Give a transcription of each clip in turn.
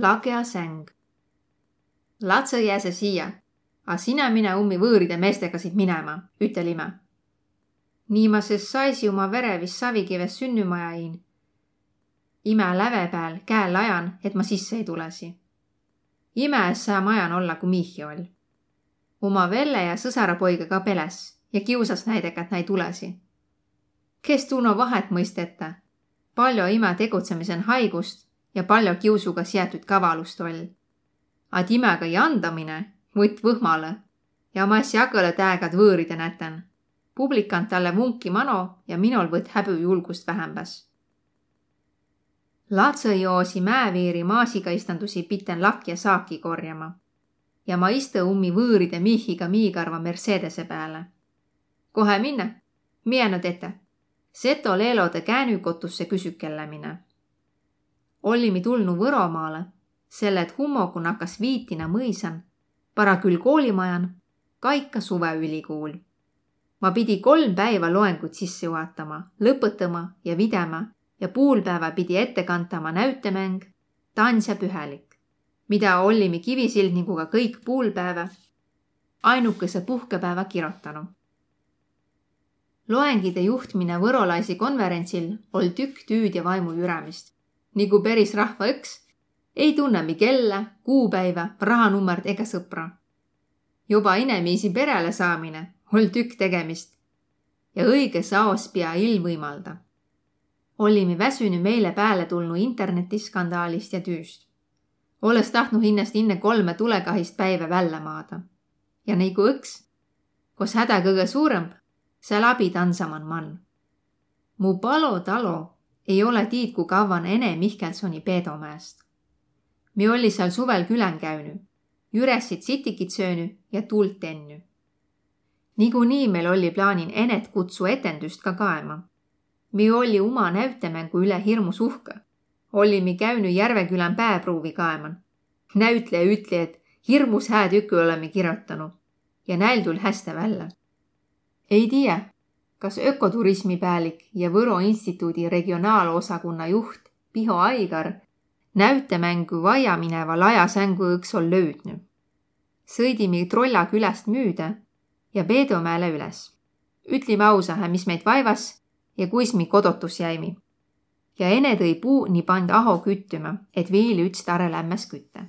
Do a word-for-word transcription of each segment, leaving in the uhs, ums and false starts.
Lagea säng. Latsõ jääse siia, a sinä mine ummi võõride meestega siit minema, ütel imä. Nii ma ses saisi uma verevis savikives sünnümaja iin. Imä läve pääl käe lajan, et ma sisse ei tulesi. Imä es saa majan olla, ku Miihhi oll. Uma velle ja sõsarapoiga ka peläs ja kiusas näidega, et nai tulesi. Kes tuu no vahet mõistete, paljo imä tegutsemisen haigust ja paljo kiusuga siätüt kavalust oll. At imäga jandamine võtt võhmalõ ja ma es jakõlõ täägad võõride näten. Publikant talle vunki mano ja minol võtt häbü julgust vähämbäs. Latsõ joosi mäeviiri maasiga istandusi pitten lakja saaki korjama. Ja ma istõ ummi võõride Miihhiga miigarva Mercedese pääle. Kohe minne? Miä no tette? Seto leelodõ käänükotusse küsükellämine. Ollimi tulnu Võromaalõ, selle et hummogu nakkas Viitina mõisan, Parakül koolimajan, Kaika suveülikuul. Ma pidi kolm päivä loenguid sisse juhatama, lõpõtama ja vidämä ja puulpäävä pidi ettekantama näütemäng Tansja pühälik, mida ollimi kivisildniguga kõik puulpäävä ainukese puhkepäävä kirotanu. Loengide juhtmine võrolaisi konverentsil oll tükk tüüd ja vaimu jürämist. Nigu peris rahva õks, ei tunne mi kellä, kuupäivä, rahanummart ega sõpra. Joba inemiisi peräle saamine oll tükk tegemist ja õiges aos pia ill võimalda. Ollimi väsünü meile pääle tulnu internetiskandaalist ja tüüst. Olles tahtnu hinnäst inne kolme tulekahist päivä vällä maada. Ja nigu õks, kos hädä kõgõ suurõmb, sääl abi dansaman man. Mu palo talo ei ole tiid, ku kavvan Ene Mihkelsoni Peedomäest. Mi olli sääl suvel külän käünü, jürässit sitikit söönü ja tuult tennü. Nigunii meil olli plaanin Enet kutsu etendüst ka kaema. Mi olli uma näütemängu üle hirmus uhkõ. Ollimi käünü Järvekülän pääpruuvi kaeman. Näütlejä ütli, et hirmus hää tükü olemi kirotanu ja näil tull häste vällä. Ei tiiä, kas ökoturismi päälik ja Võro instituudi regionaalosakunna juht Piho Aigar näütemängu vaia mineva laja sängu õks oll löüdnü. Sõidimi Trolla küläst müüdä ja Peedomäele üles. Ütlimi ausahe, mis meid vaivas ja kuis mi kodotus jäimi. Ja Ene tõi puu ni pand aho küttümä, et viil üts tare lämmäs kütte.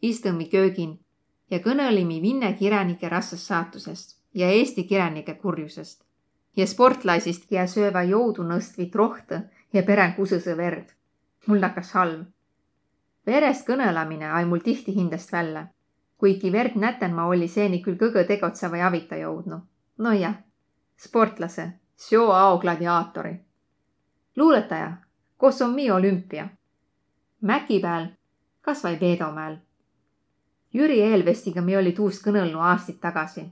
Istõmi köögin ja kõnõlimi Vinne kiränike rassast saatusest ja Eesti kiränike kurjusest ja sportlaisist, kiä söövä joudunõstvit rohtõ ja perän kusõsõ verd. Mul nakkas halv. Verest kõnõlamine ai mul tihti hindäst vällä, kuiki verd näten ma olli seeni kül kõgõ tegotseva ja avita joudnu. No jah, sportlasõ, seo ao gladiaatori. Luulõtaja, kos om mi olümpia? Mäki pääl, kas vai Peedomäel? Jüri Eelvestiga mi olli tuust kõnõlnu aastit tagasi,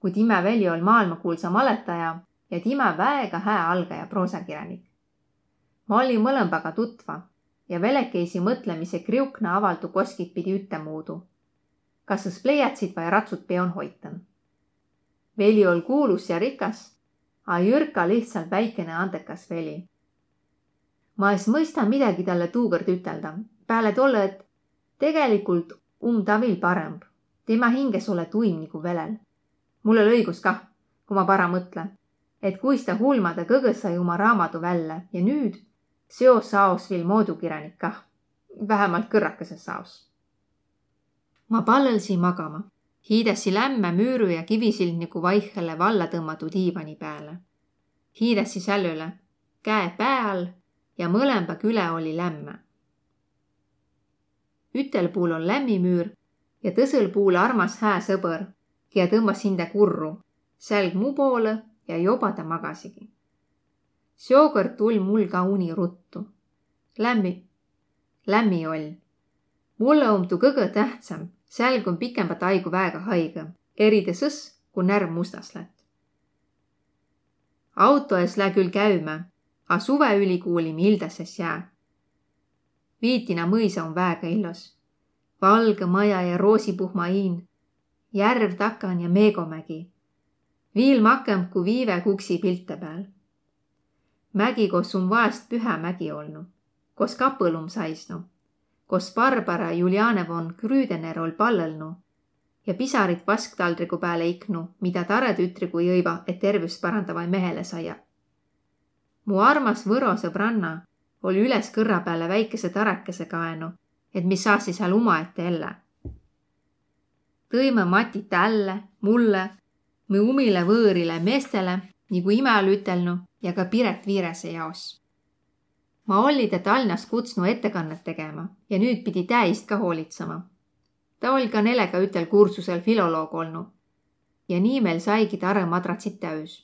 ku timä veli oll maailmakuulsa malõtaja ja timä väega hää algaja proosakiränik. Ma olli mõlõmbaga tutva ja velekeisi mõtlemise kriukna avaldu koskit pidi üttemuudu. Kas sõs pleiatsit vai ratsut peon hoitõn. Veli oll kuulus ja rikas, a jürka lihtsalt väikene andekas veli. Ma es mõista midagi talle tuukõrd ütelda, pääle tollõ, et tegelikult um ta viil parõmb. Tema hinges ole tuim nigu velel. Mul oll õigus kah, ku ma bara mõtle, et kuis ta hulmada kõgõ sai uma raamadu vällä ja nüüd seo saos viil moodukiränik kah, vähämalt kõrrakese saos. Ma pallõlsi magama. Hiidässi lämmä müürü ja kivisildnigu vaihhele valla tõmmadu diivani pääle. Hiidässi sällüle, käe pää all ja mõlemba küle olli lämmä. Ütel puul oll lämmi müür ja tõsõl puul armas hää sõbõr, kiä tõmmas hindä kurru, sälg mu poolõ ja joba ta magasigi. Seokõrd tull mul ka uni ruttu. Lämmi, lämmi oll. Mullõ om tuu kõgõ tähtsämb, sälg om pikembät aigu väega haigõ, eride sõs, ku närv mustas lätt. Auto es lää kül käümä, a suveülikuuli mi ildäs es jää. Viitina mõisa om väega illos. Valgõ maja ja roosipuhma iin, järv takan ja Meegomägi. Viil makõmb ku Viive Kuksi pilte pääl. Mägi, kos um vaest pühä mägi olnu, kos kapõl um saisnu. kos Barbara Juliane von Grüdener oll' pallõlnu ja pisarit vasktaldrigu pääle iknu, mida tarõ tütrigu jõiva, et tervüst parandavai mehele saia. Mu armas võro sõbranna oll' üles kõrra pääle väikese tarakese kaenu, et mi saassi sääl umaette ellä. Tõimõ matit tälle, mulle, mi umile võõrile meestele, nigu imä oll' ütelnu, ja ka Piret Viirese jaos. Ma olli ta Tal'nast kutsnu ettekannet tegema ja nüüt pidi tää iist ka hoolitsema. Ta oll' ka nelega ütel kursusel filoloog olnu. Ja nii meil saigi tarõ madratsit täüs.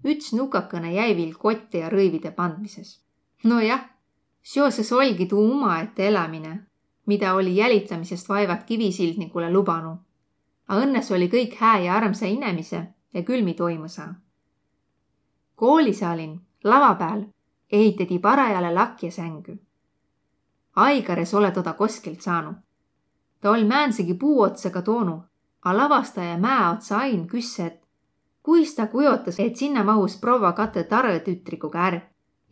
Üts nukakõne jäi viil kotte ja rõivide pandmises. No jah, seoses oll'gi tuu umaette elämine, mida olli jälitämisest vaivat Kivisildnigule lubanu. A õnnes olli kõik hää ja armsa inemise ja kül mi toimõ saa. Koolisaalin lava pääl ehitedi parajale lakja sängü. Aigar es ole toda koskilt saanu. Ta oll' määndsegi puu otsaga toonu, a lavastaja Mää Otsa Ain küsse, et kuis ta kujotas, et sinnä mahus provva katõ tarõ tütriguga är.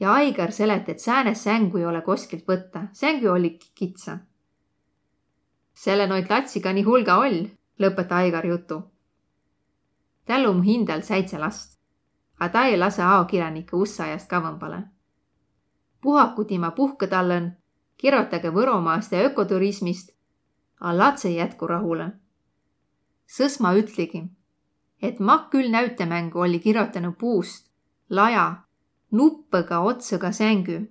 Ja Aigar selet, et säänest sängu ei ole koskilt võtta, sängü olli kitsä. Selle noid latsi ka nii hulga oll, lõpet Aigar jutu. Täl um hindal säidse last. A ta ei lase aokiränikke usse ajast kavvõmbale. Puhaku tima puhkõ tallõn, kirotage Võromaast ja ökoturismist, a latsõ jätku rahule. Sõs ma ütligi, et maq kül näütemängu olli kirotanu puust laja nuppõga otsõga sängü.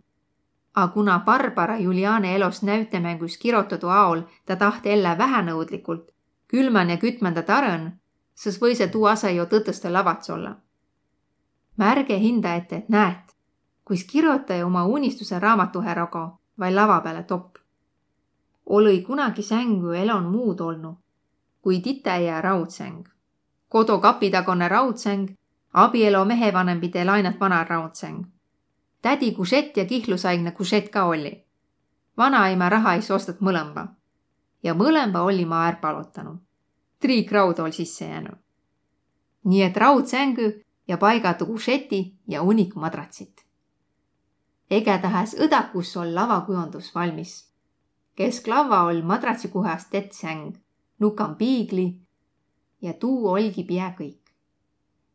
A kuna Barbara Juliane elos näütemängus kirotadu aol ta taht ellä vähänõudlikult, külmän ja kütmända tarõn, sõs võise tuu as'a jo tõtõstõ lavatsõs olla. Märge hinda ette, et näet, kuis kirotaja uma unistuse raamatuhe rogo vai lava pääle top. Olõ-i kunagi sängü elon muud olnu kui ditäjä raudsäng. Kodo kapitagone raudsäng, abielo mehevanemide lainat vana raudsäng. Tädi kušett ja kihlusaigne kušett ka olli. Vanaimä raha es ostat mõlõmba. Ja mõlõmba olli ma är palotanu. Triik raud oll' sisse jäänu. Nii et raudsängü ja paigatu kušeti ja unik madratsit. Egädahas õdakus oll' lavakujondus valmis. Kesklavva oll' madratsikuhas tett säng, nukan piigli ja tuu oll'gi pia kõik.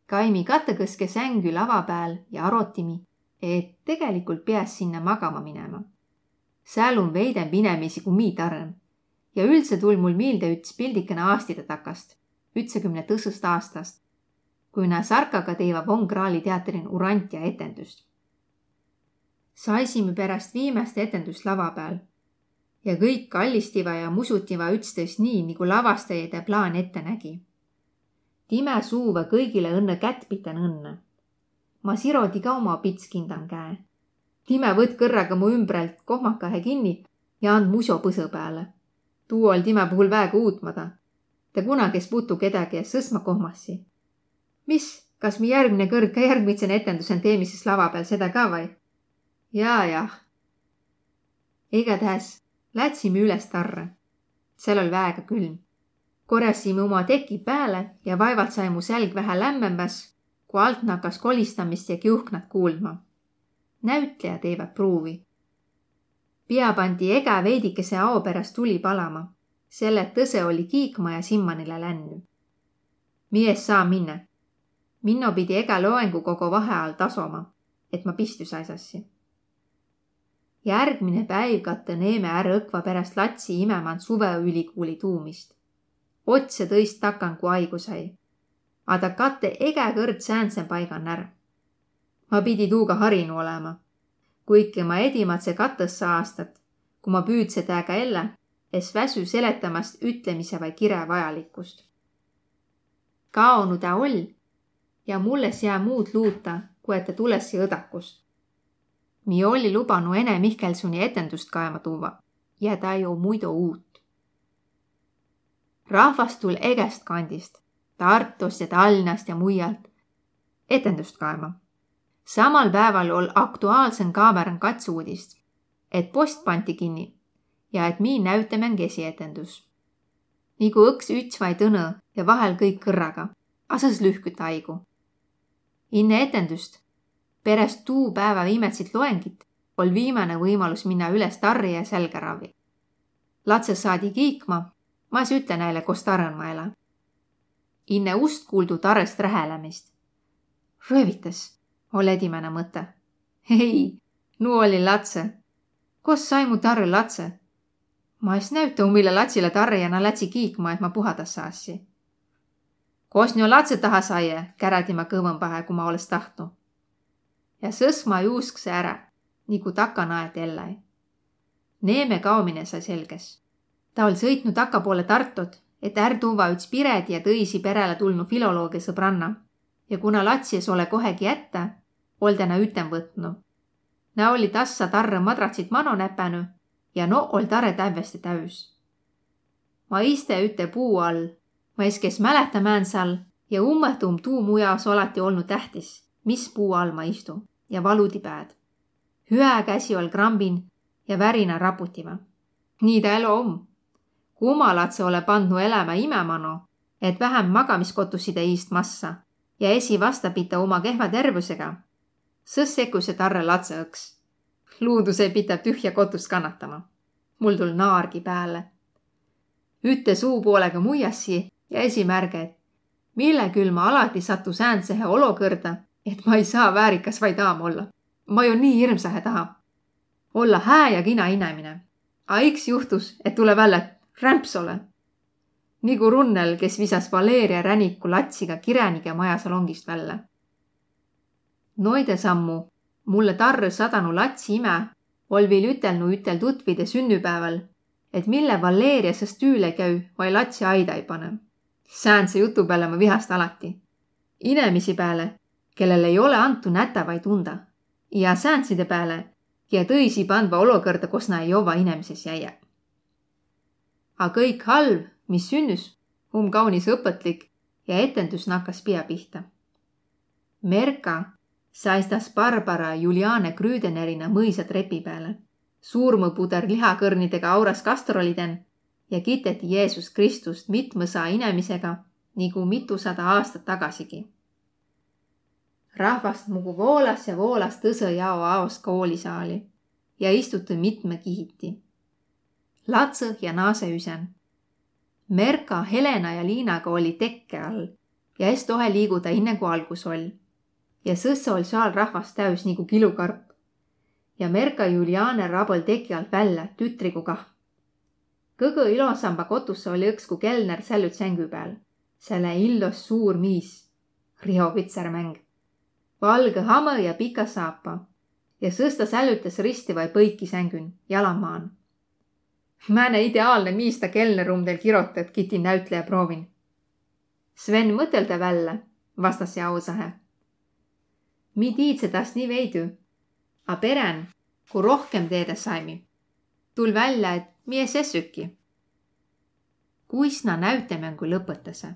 Kaimi katõkõske sängü lava pääl ja arotimi, et tegeligult piäs sinnä magama minema. Sääl um veidemb inemiisi ku mii tarõn. Ja üldse tull' mul miilde üts pildikene aastide takast, ütsakümne tõsõst aastast, kui nä Sarkaga teiva Von Krahli teatrin Urantia etendüst. Saisime peräst viimäst etendüst lava pääl. Ja kõik kallistiva ja musutiva ütstõist nii, nigu lavastajide plaan ette nägi. Timä suuvõ kõigile õnnõ kätt pitän õnnõ. Ma sirodi ka uma pitskindan käe. Timä võtt kõrraga mu ümbrält kohmakahe kinni ja and muso põsõ pääle. Tuu oll' timä puhul väega uutmada. Ta kunagi es putu kedägi ja sõs ma kohmassi. Mis, kas mi järgmine kõrd ka järgmidsen etendüsen teemi sis lava pääl sedä ka vai? Jaa, jah. Egädähäs lätsimi üles tarrõ. Sääl oll' väega külm. Korjasimi uma teki pääle ja vaivalt sai mu sälg vähä lämmämbäs, ku alt nakas kolistamist ja kiuhknat kuuldma. Näütlejä teivät pruuvi. Pia panti egä veidikese ao peräst tuli palama, selle et tõse olli kiikma ja simmanile lännü. Mi es saa minnä. Minno pidi egä loengu kogo vaheaal tasoma, et ma pistü saisassi. Järgmine päiv kattõ neeme är õkva peräst latsi imäman suvõülikuuli tuumist. Otse tõist takan ku aigu sai. A ta kattõ egä kõrd säändsen paigan är. Ma pidi tuuga harinu olema. Kuiki ma edimädse katõssa aastat, ku ma püüdse tääga ellä, es väsü seletämäst ütlemise vai kirä vajalikkust. Kaonu tä oll' ja mul es jää muud luuta, ku et tä tulessi õdakust. Mi olli lubanu Ene Mihkelsoni etendüst kaema tuvva ja tä jo muido uut. Rahvast tull' egäst kandist, Tartost ja Tal'nast ja muialt, etendüst kaema. Samal pääval oll' Aktuaalsen Kaameran kats uudist, et post panti kinni ja et mii näütemäng esietendüs. Nigu õks üts vai tõnõ ja vahel kõik kõrraga, a sõs lühküt aigu. Inne etendüst, peräst tuu päävä viimätsit loengit, oll' viimäne võimalus minnä üles tarri ja sälgä ravvi. Latsõ saadi kiikma, ma es ütle näile, kos tarõn ma elä. Inne ust kuuldu tarõst rähelämist. Röövitäs, oll' edimäne mõtõ. Ei, nu olli latsõ. Kos sai mu tarrõ latsõ? Ma es näütä umile latsilõ tarrõ ja na lätsi kiikma, et ma puhada saassi. Kos nio latsõ taha saie, kärädi ma kõvõmbahe, ku ma olõs tahtnu. Ja sõs ma juusksõ ärä, nigu taka naet elläi. Neeme kaomine sai selges. Ta oll' sõitnu taka poole Tartot, et är tuvva üts Piredi ja tõisi peräle tulnu filolooge sõbranna. Ja kuna latsi es ole kohegi jättä, oll' ta nä üten võtnu. Nä olli tassa tarrõ madratsit mano näpänü ja no oll' tarõ tävveste täüs. Ma iste üte puu all, ma es kes mälehtä, mään sääl, ja ummõht um tuu mu jaos alati olnu tähtis, mis puu all ma istu, ja valudi pääd. Hüä käsi oll' krambin ja värina raputiva. Nii ta elo om. Ku uma latsõ ole pandnu elämä imä mano, et vähämb magamiskotusside iist massa ja esi vastapite uma kehva tervüsega, sõs sekkuse tarrõ latsõ õks. Luudus ei pidä tühjä kotust kannatama. Mul tull' naargi pääle. Ütte suu poolega muiassi ja esi märge, et mille küll ma alati satu säändsehe olokõrda, et ma ei saa väärikas vai daam olla. Ma jo nii hirmsahe taha olla hää ja kina inemine. A iks juhtus, et tule vällä rämpsole. Nigu Runnel, kes visas Valeria Räniku latsiga kiränige majasalongist vällä. Noide sammu mulle tarrõ sadanu latsi imä oll' viil ütelnu ütel tutvide sünnüpääväl, et mille Valeria sõs tüüle käü vai latsi aida ei panõ. Säändse jutu pääle ma vihast alati. Inemisi pääle, kellel ei ole antu nätä vai tunda. Ja säändside pääle, kiä tõisi pandva olokõrda, kos na ei jovva inemises jäiä. A kõik halv, mis sünnüs, um kaunis õpõtlik ja etendüs nakkas pia pihta. Merka saistas Barbara Juliane Grüdenerinä mõisa trepi pääle. Suurmõ puder lihakõrnidega auras kastroliden ja kiteti Jeesus Kristust mitmõsa inemisega nigu mitusada aastat tagasigi. Rahvast mugu voolas ja voolas tõsõ jao aos koolisaali ja istutõ mitmõ kihiti. Latsõ ja naasõ üsen. Merka, Helena ja Liinaga olli tekke all ja es tohe liiguda inne, ku algus oll. Ja sõs oll' saal rahvast täüs nigu kilukarp. Ja Merka Juliane rabõl teki alt vällä, tütrigu kah. Kõgõ ilosamba kotussõ oll' õks, ku kelner sällüt sängü pääl. Sääl illos suur miis. Riho Vitsärmäng. Valgõ hamõ ja pika saapa. Ja sõs ta sällütäs risti vai põiki sängün, jala maan. Määne ideaalne miis ta kelner um teil kirotõt, kiti näütlejä proovin. Sven mõtõlda vällä, vastas ja ausahe. Mi tiidse tast nii veidü, a perän, ku rohkem teedä saimi, tull' vällä, et mi es essüki. Kuis na näütemängu lõpõtasõ?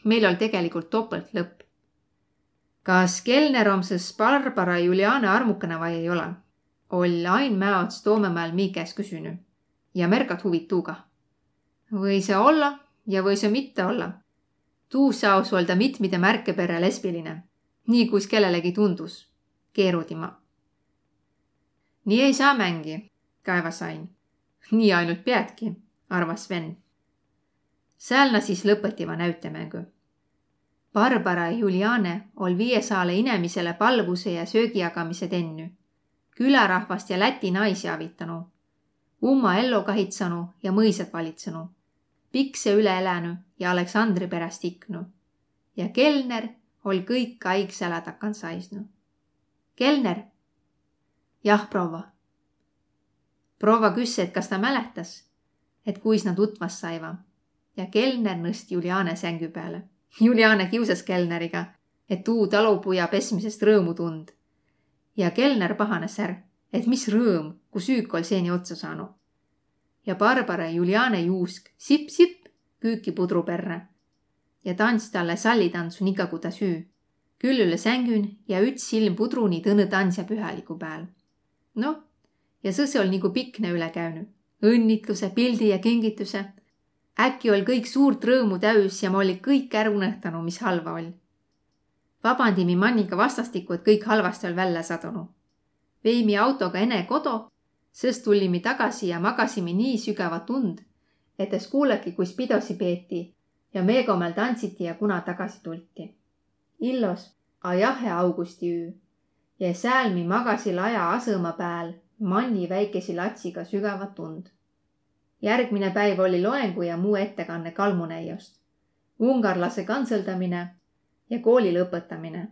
Meil oll' tegeligult topõlt lõpp. Kas kelner om sõs Barbara Juliane armukana vai ei ole? Oll' ain Mäots Toomõ Mäel mi käest küsünü. Ja Merkat huvitu kah. Võisõ olla ja võisõ mitte olla. Tuu saos oll' ta mitmide märke perrä lesbiline. Nii kuis kellelegi tundus. Keerudi ma. Nii ei saa mängi, kaevas ain. Nii ainult piätki, arvas Sven. Sääl na sis lõpõtiva näütemängü. Barbara Juliane oll' viie saale inemisele palvuse ja söögijagamise tennü, külärahvast ja läti naisi avitanu, umma ello kahitsanu ja mõisat valitsanu, pikse üle elänü ja Aleksandri peräst iknu. Ja kelner oll' kõik aig sälä takan saisnu. Kelner? Jah, provva. Provva küsse, et kas ta mälehtäs, et kuis na tutvas saiva. Ja kelner nõst Juliane sängü pääle. Juliane kiusas kelneriga, et tuu talupuja pesmisest rõõmu tund. Ja kelner pahanes är, et mis rõõm, ku süük oll' seeni otsa saanu. Ja Barbara Juliane juusk sipp-sipp küüki pudru perrä. Ja tants talle sallitandsu nika, ku ta süü. Küll üle sängün ja üts silm pudru ni tõnõ tandsja pühäligu pääl. Noh, ja sõs oll' nigu pikne üle käünü. Õnnitluse, pildi ja kingitüse. Äkki oll' kõik suurt rõõmu täüs ja ma olli kõik är unõhtanu, mis halva oll'. Vabandimi manniga vastastikku, et kõik halvasti oll' vällä sadunu. Veimi autoga ene kodo Sõs tullimi tagasi ja magasimi nii sügävat und, et es kuulaki, kuis pidosi peeti ja meegomäl tandsiti ja kuna tagasi tulti. Illos, a jahe augustiüü. Ja sääl mi magasi laja asõma pääl manni väikesi latsiga sügävat und. Järgmine päiv oli loengu ja muu ettekanne Kalmunäiost, ungarlase kantsõldamine ja kooli lõpõtamine.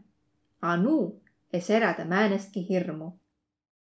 A nuu es erädä määnestki hirmu.